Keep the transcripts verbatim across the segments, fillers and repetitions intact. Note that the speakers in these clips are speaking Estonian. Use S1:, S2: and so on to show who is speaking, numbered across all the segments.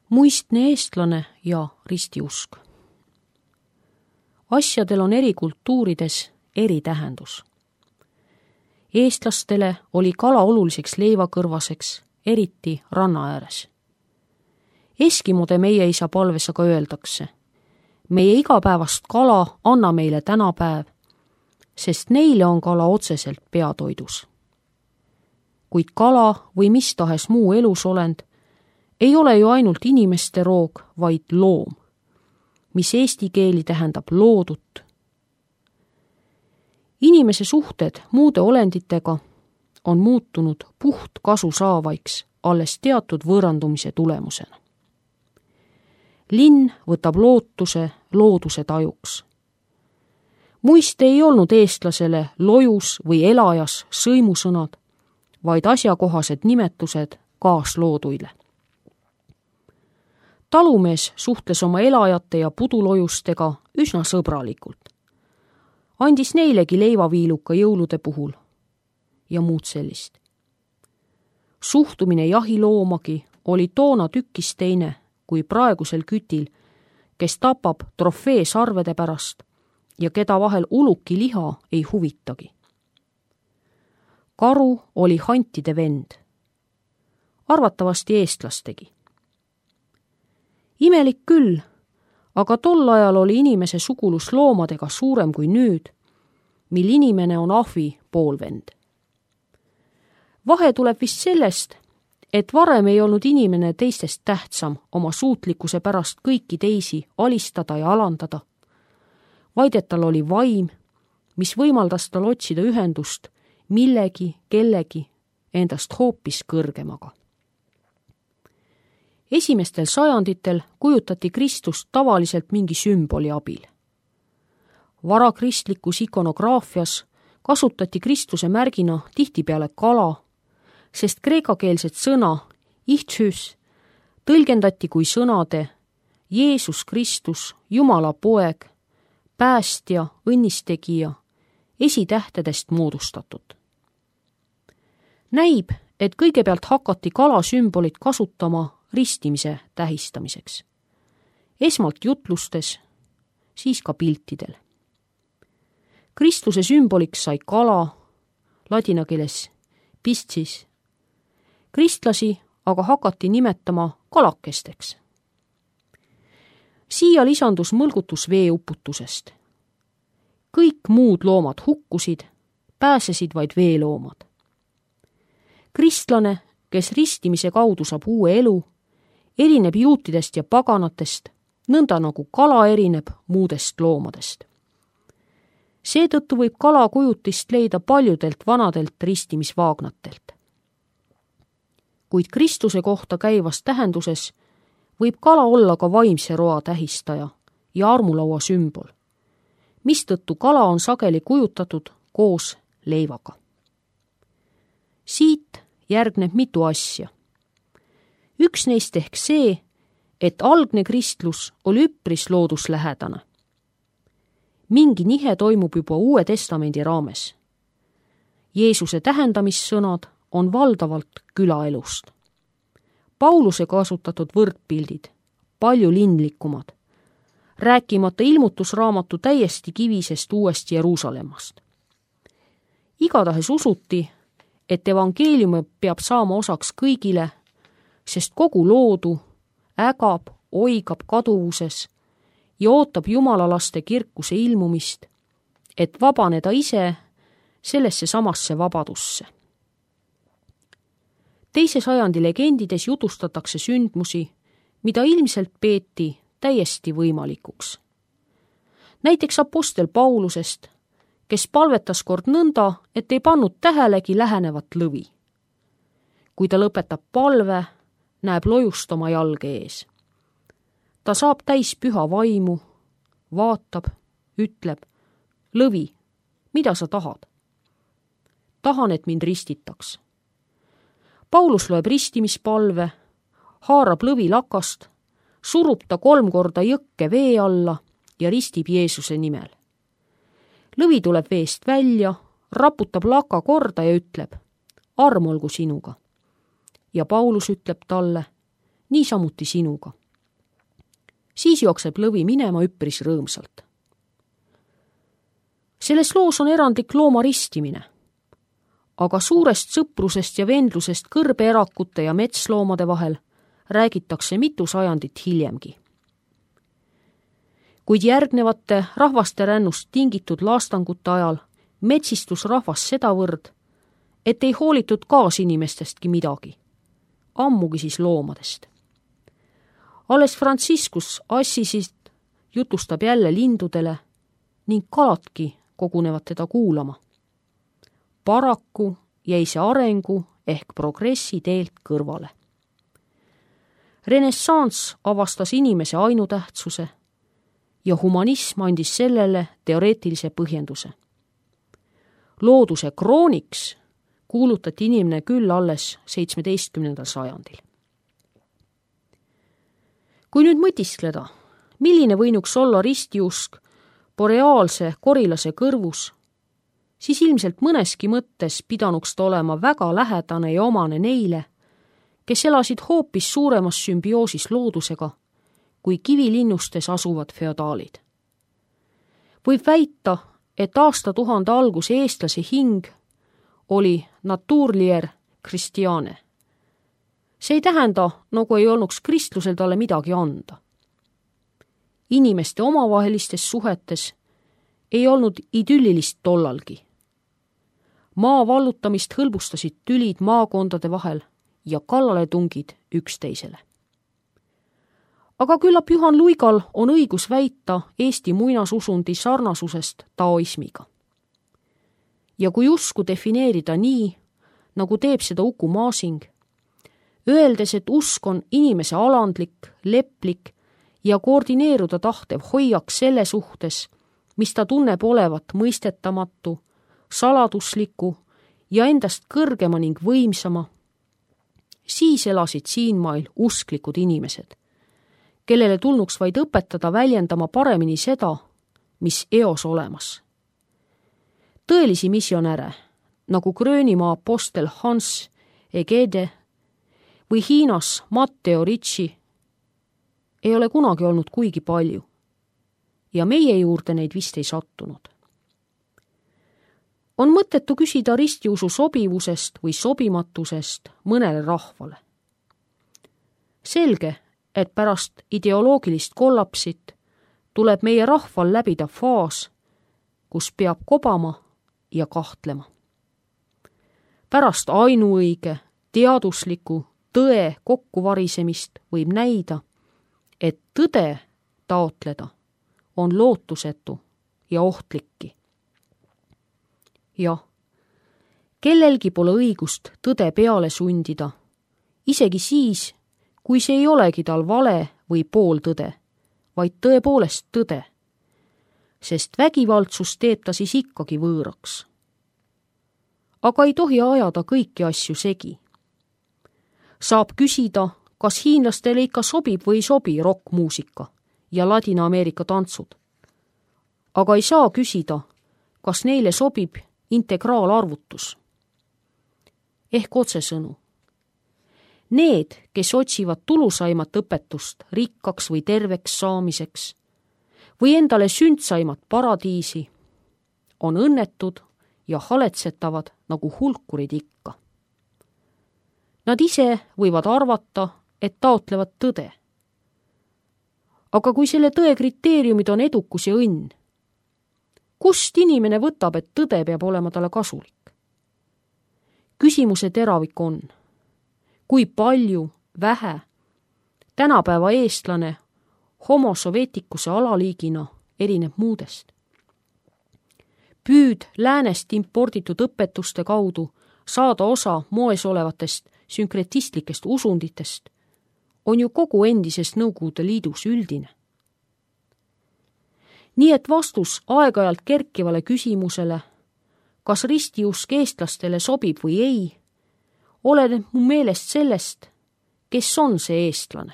S1: Muistne eestlane ja ristiusk. Asjadel on eri kultuurides eri tähendus. Eestlastele oli kala oluliseks leivakõrvaseks, eriti ranna ääres. Eskimode meie isa palves aga öeldakse, meie igapäevast kala anna meile tänapäev, sest neile on kala otseselt peatoidus. Kuid kala või mis tahes muu elusolend ei ole ju ainult inimeste roog, vaid loom, mis eesti keeli tähendab loodut. Inimese suhted muude olenditega on muutunud puht kasu saavaiks alles teatud võõrandumise tulemusena. Linn võtab lootuse looduse tajuks. Muiste ei olnud eestlasele lojus või elajas sõimusõnad, vaid asjakohased nimetused kaaslooduile. Talumees suhtles oma elajate ja pudulojustega üsna sõbralikult. Andis neilegi leivaviiluka jõulude puhul ja muud sellist. Suhtumine jahiloomagi oli toona tükkis teine kui praegusel kütil, kes tapab trofee sarvede pärast ja keda vahel uluki liha ei huvitagi. Karu oli hantide vend, arvatavasti eestlastegi. Imelik küll, aga tol ajal oli inimese sugulus loomadega suurem kui nüüd, mil inimene on ahvi poolvend. Vahe tuleb vist sellest, et varem ei olnud inimene teistest tähtsam oma suutlikkuse pärast kõiki teisi alistada ja alandada, vaid et tal oli vaim, mis võimaldas tal otsida ühendust millegi, kellegi endast hoopis kõrgemaga. Esimestel sajanditel kujutati Kristust tavaliselt mingi sümboli abil. Varakristlikus ikonograafias kasutati Kristuse märgina tihtipeale kala, sest kreekakeelset sõna ichtšüs tõlgendati kui sõnade Jeesus Kristus, Jumala poeg, päästja, õnnistegija, esitähtedest moodustatud. Näib, et kõigepealt hakati kalasümbolit kasutama ristimise tähistamiseks. Esmalt jutlustes, siis ka piltidel. Kristuse sümboliks sai kala, ladina keeles pistis. Kristlasi aga hakati nimetama kalakesteks. Siia lisandus mõlgutus veeuputusest. Kõik muud loomad hukkusid, pääsesid vaid veeloomad. Kristlane, kes ristimise kaudu saab uue elu, erineb juutidest ja paganatest, nõnda nagu kala erineb muudest loomadest. Seetõttu võib kala kujutist leida paljudelt vanadelt ristimisvaagnatelt. Kuid Kristuse kohta käivas tähenduses võib kala olla ka vaimse roa tähistaja ja armulaua sümbol, mistõttu kala on sageli kujutatud koos leivaga. Siit järgneb mitu asja. Üks neist ehk see, et algne kristlus oli üpris looduslähedane. Mingi nihe toimub juba Uue Testamendi raames. Jeesuse tähendamissõnad on valdavalt külaelust. Pauluse kasutatud võrdpildid, palju linlikumad, rääkimata ilmutusraamatu täiesti kivisest Uuest Jeruusalemmast. Igatahes usuti, et evangeelium peab saama osaks kõigile, sest kogu loodu ägab, oigab kaduvuses ja ootab Jumala laste kirkuse ilmumist, et vabaneda ise sellesse samasse vabadusse. Teise sajandi legendides jutustatakse sündmusi, mida ilmselt peeti täiesti võimalikuks. Näiteks apostel Paulusest, kes palvetas kord nõnda, et ei pannud tähelegi lähenevat lõvi. Kui ta lõpetab palve, näeb lojust oma jalge ees. Ta saab täis püha vaimu, vaatab, ütleb, lõvi, mida sa tahad? Tahan, et mind ristitaks. Paulus loeb ristimispalve, haarab lõvi lakast, surub ta kolm korda jõkke vee alla ja ristib Jeesuse nimel. Lõvi tuleb veest välja, raputab laka korda ja ütleb, arm olgu sinuga. Ja Paulus ütleb talle, niisamuti sinuga. Siis jookseb lõvi minema üpris rõõmsalt. Selles loos on erandlik looma ristimine, aga suurest sõprusest ja vendlusest kõrbeerakute ja metsloomade vahel räägitakse mitu sajandit hiljemgi. Kuid järgnevate rahvaste rännust tingitud laastangute ajal metsistus rahvas sedavõrd, et ei hoolitud kaasinimestestki midagi, ammugi siis loomadest. Alles Franciscus Assisist jutustab jälle lindudele ning kaladki kogunevad teda kuulama. Paraku jäi see arengu ehk progressi teelt kõrvale. Renessanss avastas inimese ainutähtsuse ja humanism andis sellele teoreetilise põhjenduse. Looduse krooniks kuulutati inimene küll alles seitsmeteistkümnendal sajandil. Kui nüüd mõtiskleda, milline võinuks olla ristiusk boreaalse korilase kõrvus, siis ilmselt mõneski mõttes pidanuks ta olema väga lähedane ja omane neile, kes elasid hoopis suuremas sümbioosis loodusega kui kivilinnustes asuvad feodaalid. Võib väita, et aastatuhande alguse eestlase hing oli naturlier Christiane. See ei tähenda, nagu ei olnuks kristlusel talle midagi anda. Inimeste omavahelistes suhetes ei olnud idüllilist tollalgi. Maa vallutamist hõlbustasid tülid maakondade vahel ja kallaletungid üksteisele. Aga küllap Juhan Luigal on õigus väita Eesti muinasusundi sarnasusest taoismiga. Ja kui usku defineerida nii, nagu teeb seda Uku Masing, öeldes, et usk on inimese alandlik, leplik ja koordineeruda tahtev hoiak selle suhtes, mis ta tunneb olevat mõistetamatu, saladusliku ja endast kõrgema ning võimsama, siis elasid siinmail usklikud inimesed, kellele tulnuks vaid õpetada väljendama paremini seda, mis eos olemas. Tõelisi missionäre, nagu Gröönimaa apostel Hans Egede või Hiinas Matteo Ricci, ei ole kunagi olnud kuigi palju ja meie juurde neid vist ei sattunud. On mõttetu küsida ristiusu sobivusest või sobimatusest mõnele rahvale. Selge, et pärast ideoloogilist kollapsit tuleb meie rahval läbida faas, kus peab kobama ja kahtlema. Pärast ainuõige, teadusliku tõe kokkuvarisemist võib näida, et tõde taotleda on lootusetu ja ohtlikki. Jah, kellelgi pole õigust tõde peale sundida, isegi siis, kui see ei olegi tal vale või pooltõde, vaid tõepoolest tõde, sest vägivaldsus teeb ta siis ikkagi võõraks. Aga ei tohi ajada kõiki asju segi. Saab küsida, kas hiinlastele ikka sobib või ei sobi rokkmuusika ja Ladina-Ameerika tantsud. Aga ei saa küsida, kas neile sobib integraalarvutus. Ehk otsesõnu. Need, kes otsivad tulusaimat õpetust rikkaks või terveks saamiseks või endale sündsaimat paradiisi, on õnnetud ja haletsetavad nagu hulkurid ikka. Nad ise võivad arvata, et taotlevad tõde. Aga kui selle tõe kriteeriumid on edukus ja õnn, kust inimene võtab, et tõde peab olema talle kasulik? Küsimuse teravik on, kui palju, vähe, tänapäeva eestlane homo sovietikuse alaliigina erineb muudest. Püüd läänest imporditud õpetuste kaudu saada osa moes olevatest sünkretistlikest usunditest on ju kogu endises Nõukogude Liidus üldine. Nii et vastus aeg-ajalt kerkivale küsimusele, kas ristiusk eestlastele sobib või ei, oleneb mu meelest sellest, kes on see eestlane.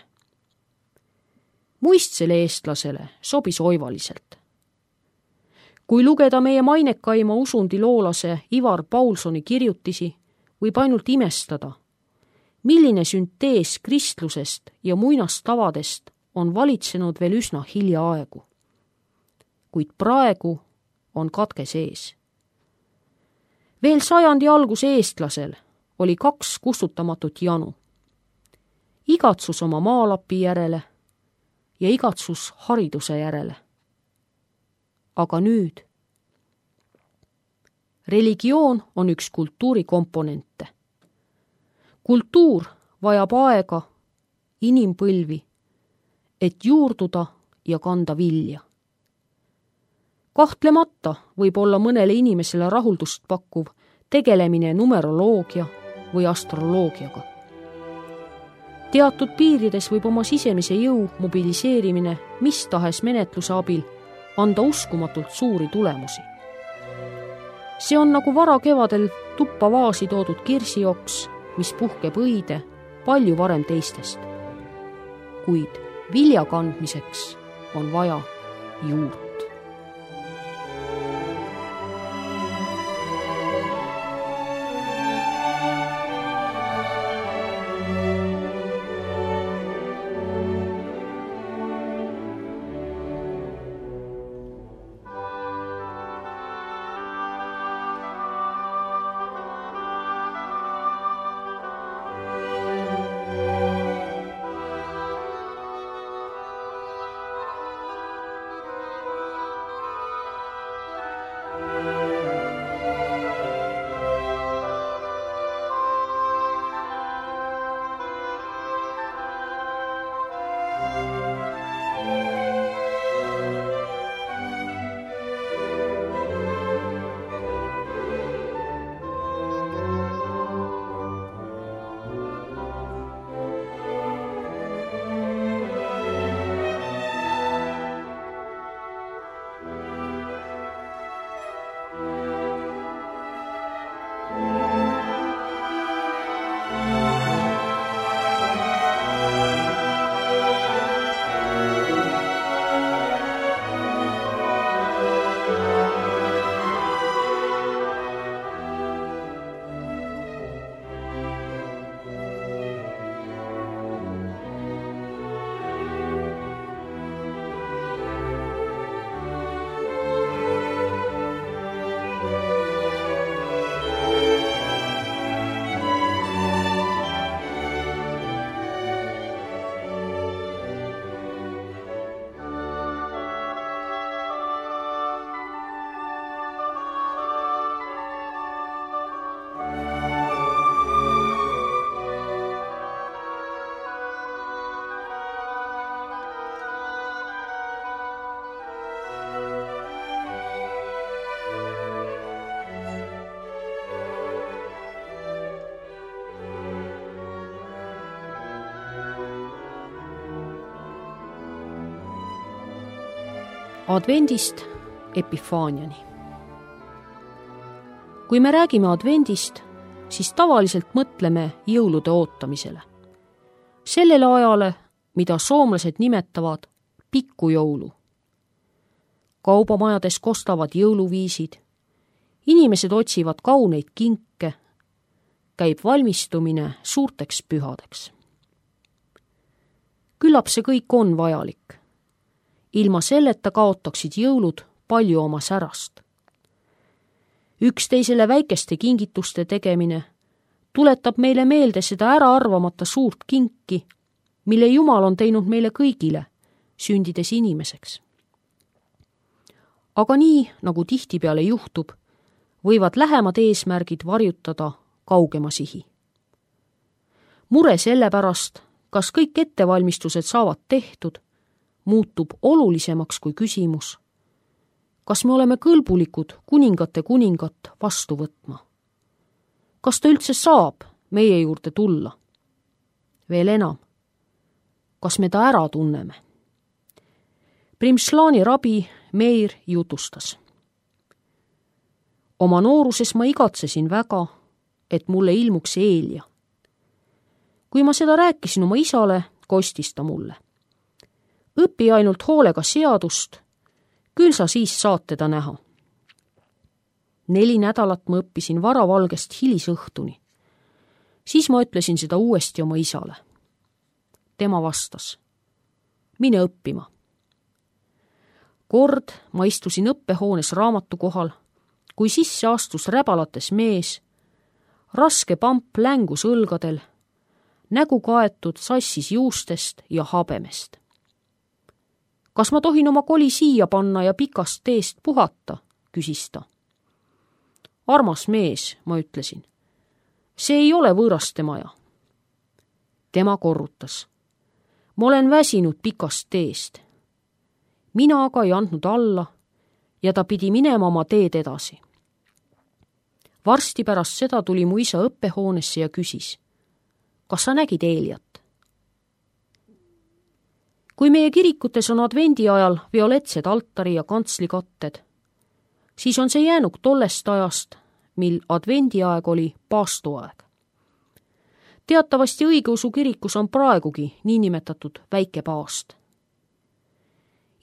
S1: Muistsele eestlasele sobis oivaliselt. Kui lugeda meie mainekaima usundiloolase Ivar Paulsoni kirjutisi, võib ainult imestada, milline süntees kristlusest ja muinastavadest on valitsenud veel üsna hiljaaegu. Kuid praegu on katke sees. Veel sajandi alguse eestlasel oli kaks kustutamatut janu. Igatsus oma maalapi järele ja igatsus hariduse järele. Aga nüüd religioon on üks kultuuri komponente. Kultuur vajab aega, inimpõlvi, et juurduda ja kanda vilja. Kahtlemata võib olla mõnele inimesele rahuldust pakkuv tegelemine numeroloogia või astroloogiaga. Teatud piirides võib oma sisemise jõu mobiliseerimine mis tahes menetluse abil anda uskumatult suuri tulemusi. See on nagu vara kevadel tuppa vaasi toodud kirsijooks, mis puhkeb õide palju varem teistest. Kuid vilja kandmiseks on vaja juurt. Advendist Epifaaniani. Kui me räägime advendist, siis tavaliselt mõtleme jõulude ootamisele. Sellele ajale, mida soomlased nimetavad pikkujoulu. Kaubamajades kostavad jõuluviisid, inimesed otsivad kauneid kinke, käib valmistumine suurteks pühadeks. Küllap see kõik on vajalik. Ilma selleta kaotaksid jõulud palju oma särast. Üksteisele väikeste kingituste tegemine tuletab meile meelde seda ära arvamata suurt kinki, mille Jumal on teinud meile kõigile, sündides inimeseks. Aga nii, nagu tihtipeale juhtub, võivad lähemad eesmärgid varjutada kaugema sihi. Mure selle pärast, kas kõik ettevalmistused saavad tehtud, muutub olulisemaks kui küsimus, kas me oleme kõlbulikud kuningate kuningat vastu võtma? Kas ta üldse saab meie juurde tulla? Veel enam, kas me ta ära tunneme? Primšlani rabi Meir jutustas. Oma nooruses ma igatsesin väga, et mulle ilmuks Eelia. Kui ma seda rääkisin oma isale, kostis ta mulle. Õpi ainult hoolega seadust, küll sa siis saad teda näha. Neli nädalat ma õppisin varavalgest hilisõhtuni. Siis ma ütlesin seda uuesti oma isale. Tema vastas, mine õppima. Kord ma istusin õppehoones raamatu kohal, kui sisse astus räbalates mees, raske pamp längus õlgadel, nägu kaetud sassis juustest ja habemest. Kas ma tohin oma koli siia panna ja pikast teest puhata, küsis ta. Armas mees, ma ütlesin, see ei ole võõraste maja. Tema korrutas, ma olen väsinud pikast teest. Mina aga ei andnud alla ja ta pidi minema oma teed edasi. Varsti pärast seda tuli mu isa õppehoonesse ja küsis, kas sa nägid Eeliat? Kui meie kirikutes on advendi ajal violetsed altari ja kantslikatted, siis on see jäänud tollest ajast, mil advendi aeg oli paastuaeg. Teatavasti õigeusu kirikus on praegugi niinimetatud väike paast.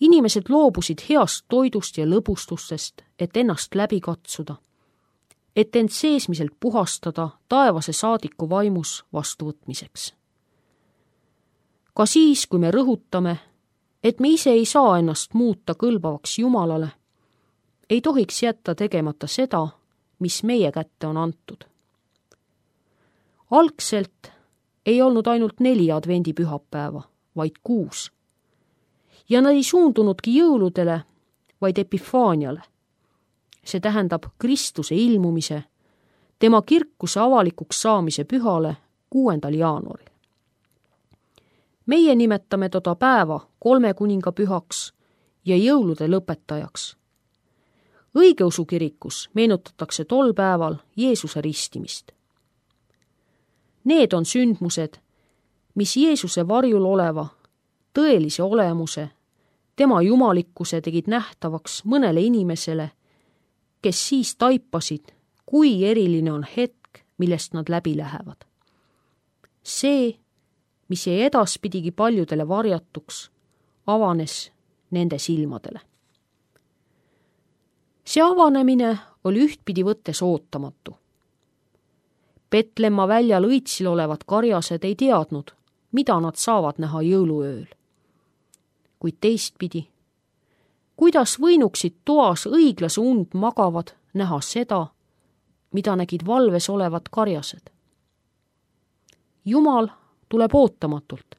S1: Inimesed loobusid heast toidust ja lõbustustest, et ennast läbi katsuda, et end seesmiselt puhastada taevase saadiku vaimus vastuvõtmiseks. Ka siis, kui me rõhutame, et me ise ei saa ennast muuta kõlbavaks Jumalale, ei tohiks jätta tegemata seda, mis meie kätte on antud. Algselt ei olnud ainult neli advendipühapäeva, vaid kuus. Ja nad ei suundunudki jõuludele, vaid epifaaniale. See tähendab Kristuse ilmumise, tema kirkuse avalikuks saamise pühale kuuendal jaanuaril. Meie nimetame toda päeva kolme kuninga pühaks ja jõulude lõpetajaks. Õigeusu kirikus meenutatakse tol päeval Jeesuse ristimist. Need on sündmused, mis Jeesuse varjul oleva, tõelise olemuse, tema jumalikkuse tegid nähtavaks mõnele inimesele, kes siis taipasid, kui eriline on hetk, millest nad läbi lähevad. See, mis jäi edaspidigi paljudele varjatuks, avanes nende silmadele. See avanemine oli ühtpidi võttes ootamatu. Petlemma väljal õitsil olevad karjased ei teadnud, mida nad saavad näha jõuluööl. Kuid teistpidi, kuidas võinuksid toas õiglase und magavad näha seda, mida nägid valves olevad karjased? Jumal tuleb ootamatult,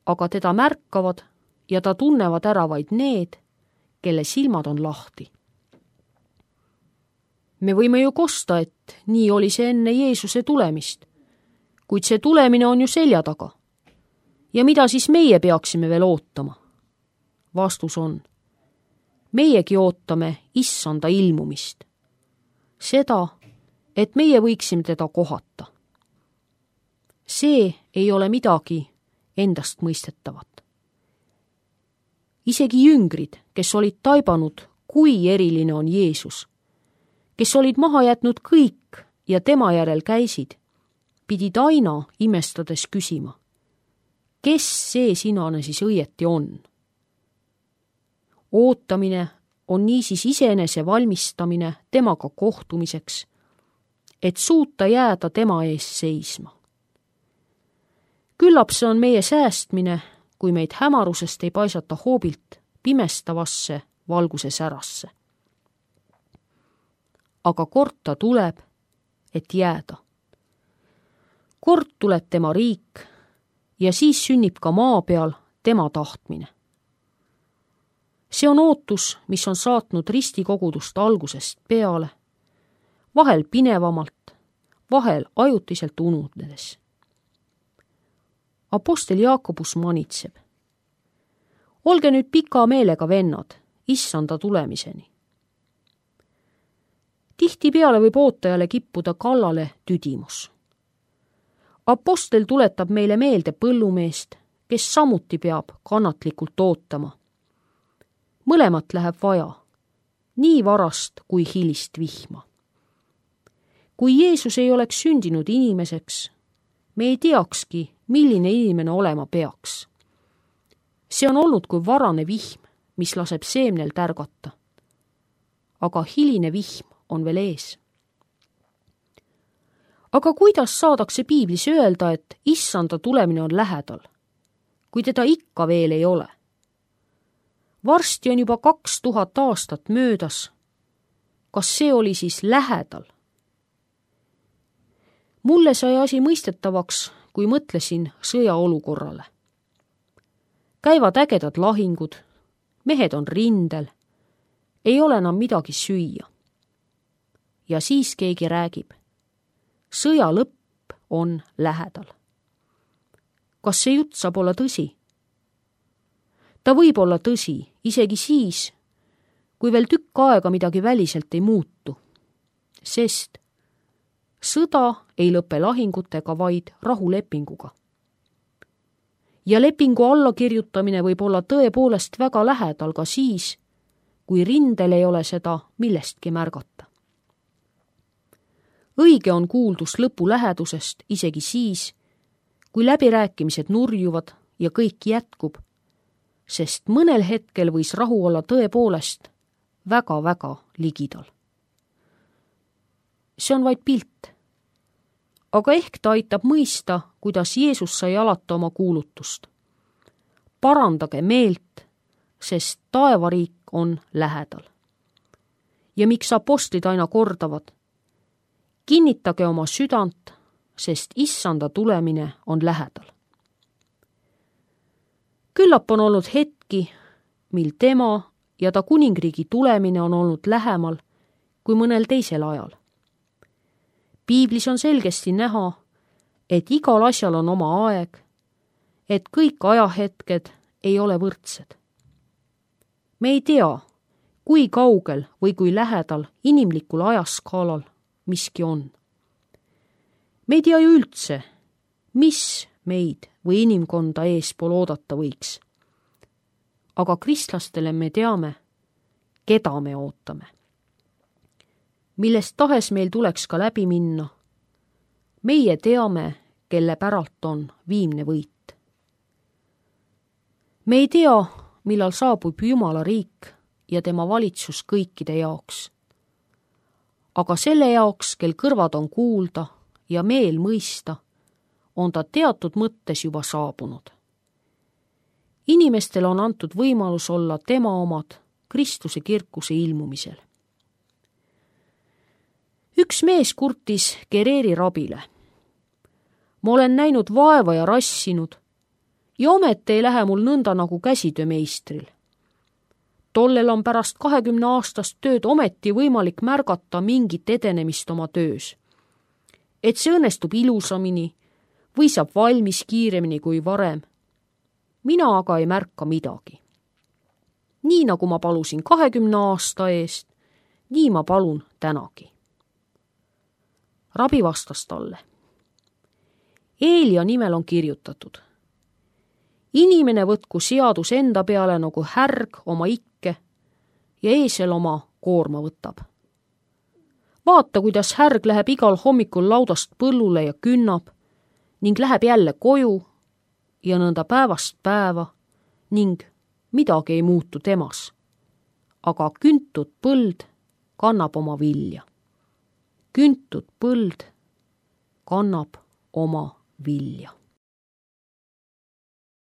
S1: aga teda märkavad ja ta tunnevad ära vaid need, kelle silmad on lahti. Me võime ju kosta, et nii oli see enne Jeesuse tulemist, kuid see tulemine on ju selja taga. Ja mida siis meie peaksime veel ootama? Vastus on, meiegi ootame issanda ilmumist. Seda, et meie võiksime teda kohata. See ei ole midagi endast mõistetavat. Isegi jüngrid, kes olid taibanud, kui eriline on Jeesus, kes olid maha jätnud kõik ja tema järel käisid, pidid aina imestades küsima, kes see sinane siis õieti on? Ootamine on niisiis iseenese valmistamine temaga kohtumiseks, et suuta jääda tema ees seisma. Küllap see on meie säästmine, kui meid hämarusest ei paisata hoobilt pimestavasse valguse särasse. Aga kord ta tuleb, et jääda. Kord tuleb tema riik ja siis sünnib ka maa peal tema tahtmine. See on ootus, mis on saatnud ristikogudust algusest peale, vahel pinevamalt, vahel ajutiselt ununedes. Apostel Jaakobus manitseb. Olge nüüd pika meelega vennad, issanda tulemiseni. Tihtipeale võib ootajale kippuda kallale tüdimus. Apostel tuletab meile meelde põllumeest, kes samuti peab kannatlikult ootama. Mõlemat läheb vaja, nii varast kui hilist vihma. Kui Jeesus ei oleks sündinud inimeseks, me ei teakski, milline inimene olema peaks. See on olnud kui varane vihm, mis laseb seemnel tärgata. Aga hiline vihm on veel ees. aga kuidas saadakse piiblis öelda, et issanda tulemine on lähedal, kui teda ikka veel ei ole? Varsti on juba kaks tuhat aastat möödas. Kas see oli siis lähedal? Mulle sai asi mõistetavaks, kui mõtlesin sõjaolukorrale. Käivad ägedad lahingud, mehed on rindel, ei ole enam midagi süüa. Ja siis keegi räägib, sõja lõpp on lähedal. Kas see jutt saab olla tõsi? Ta võib olla tõsi, isegi siis, kui veel tükk aega midagi väliselt ei muutu, sest sõda ei lõpe lahingutega, vaid rahulepinguga. Ja lepingu allakirjutamine võib olla tõepoolest väga lähedal ka siis, kui rindel ei ole seda millestki märgata. Õige on kuuldus lõpu lähedusest isegi siis, kui läbirääkimised nurjuvad ja kõik jätkub, sest mõnel hetkel võis rahu olla tõepoolest väga-väga ligidal. See on vaid pilt, aga ehk ta aitab mõista, kuidas Jeesus sai alata oma kuulutust. Parandage meelt, sest taevariik on lähedal. Ja miks apostlid aina kordavad? Kinnitage oma südant, sest issanda tulemine on lähedal. Küllap on olnud hetki, mil tema ja ta kuningriigi tulemine on olnud lähemal kui mõnel teisel ajal. Piiblis on selgesti näha, et igal asjal on oma aeg, et kõik ajahetked ei ole võrdsed. Me ei tea, kui kaugel või kui lähedal inimlikul ajaskaalal miski on. Me ei tea ju üldse, mis meid või inimkonda eespool oodata võiks. Aga kristlastele me teame, keda me ootame. Millest tahes meil tuleks ka läbi minna, meie teame, kelle päralt on viimne võit. Me ei tea, millal saabub Jumala riik ja tema valitsus kõikide jaoks. Aga selle jaoks, kel kõrvad on kuulda ja meel mõista, on ta teatud mõttes juba saabunud. Inimestele on antud võimalus olla tema omad Kristuse kirkuse ilmumisel. Üks mees kurtis Gereeri rabile. Ma olen näinud vaeva ja rassinud ja ometi ei lähe mul nõnda nagu käsitöömeistril. Tollel on pärast kahekümne aastast tööd ometi võimalik märgata mingit edenemist oma töös. Et see õnnestub ilusamini või saab valmis kiiremini kui varem. Mina aga ei märka midagi. Nii nagu ma palusin kahekümne aasta eest, nii ma palun tänagi. Rabi vastas talle. Eelia nimel on kirjutatud. Inimene võtku seadus enda peale nagu härg oma ikke ja eesel oma koorma võtab. Vaata, kuidas härg läheb igal hommikul laudast põllule ja künnab ning läheb jälle koju ja nõnda päevast päeva ning midagi ei muutu temas. Aga küntud põld kannab oma vilja. Küntud põld kannab oma vilja.